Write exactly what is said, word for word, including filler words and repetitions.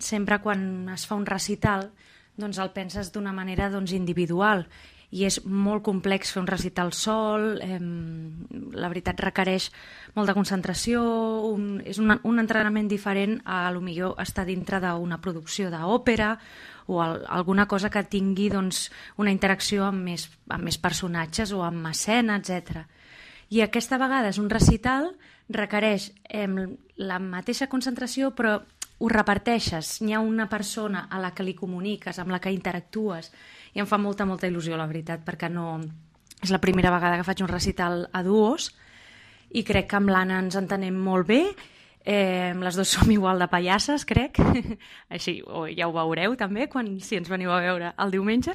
sempre quan es fa un recital doncs el penses d'una manera doncs, individual, i és molt complex fer un recital sol, eh, la veritat requereix molta concentració, un, és un, un entrenament diferent a, a lo millor estar dintre d'una producció d'òpera o al, alguna cosa que tingui doncs, una interacció amb més, amb més personatges o amb escena, etcètera. I aquesta vegada és un recital, requereix eh, la mateixa concentració, però ho reparteixes. N'hi ha una persona a la que li comuniques, amb la que interactues, i em fa molta, molta il·lusió, la veritat, perquè no... és la primera vegada que faig un recital a duos i crec que amb l'Anna ens entenem molt bé. Eh, les dues som igual de pallasses, crec. Així, o ja ho veureu també, quan, si ens veniu a veure el diumenge.